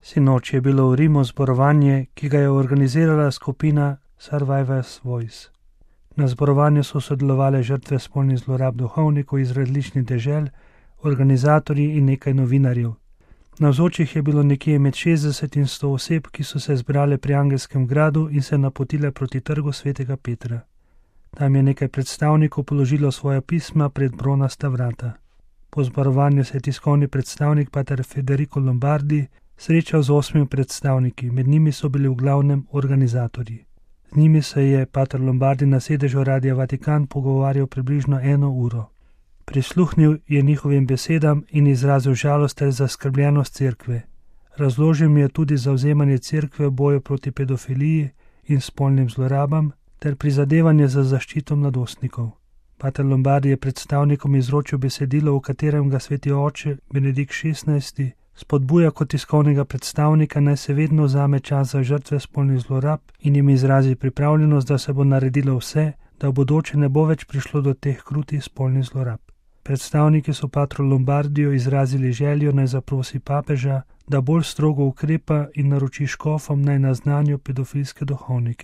Sinoči je bilo v Rimu zborovanje, ki ga je organizirala skupina Survivors Voice. Na zborovanju so sodelovali žrtve spolnih zlorab duhovnikov iz različnih dežel, organizatorji in nekaj novinarjev. Navzočih je bilo nekje med 60 in 100 oseb, ki so se zbrale pri Angelskem gradu in se napotile proti trgu svetega Petra. Tam je nekaj predstavnikov položilo svoja pisma pred bronasta vrata. Po zborovanju se je tiskovni predstavnik pater Federico Lombardi srečal z 8 predstavniki, med njimi so bili v glavnem organizatorji. Z njimi se je pater Lombardi na sedežu Radia Vatikan pogovarjal približno 1 uro. Prisluhnil je njihovim besedam in izrazil žalost ter zaskrbljenost cerkve. Razložil mi je tudi zavzemanje cerkve v boju proti pedofiliji in spolnim zlorabam ter prizadevanje za zaščito mladostnikov. Pater Lombardi je predstavnikom izročil besedilo, v katerem ga sveti oče Benedikt XVI spodbuja kot tiskovnega predstavnika, naj se vedno vzame čas za žrtve spolnih zlorab in jim izrazi pripravljenost, da se bo naredilo vse, da v bodoče ne bo več prišlo do teh krutih spolnih zlorab. Predstavniki so patru Lombardiju izrazili željo, naj zaprosi papeža, da bolj strogo ukrepa in naroči škofom, naj naznanijo pedofilske duhovnike.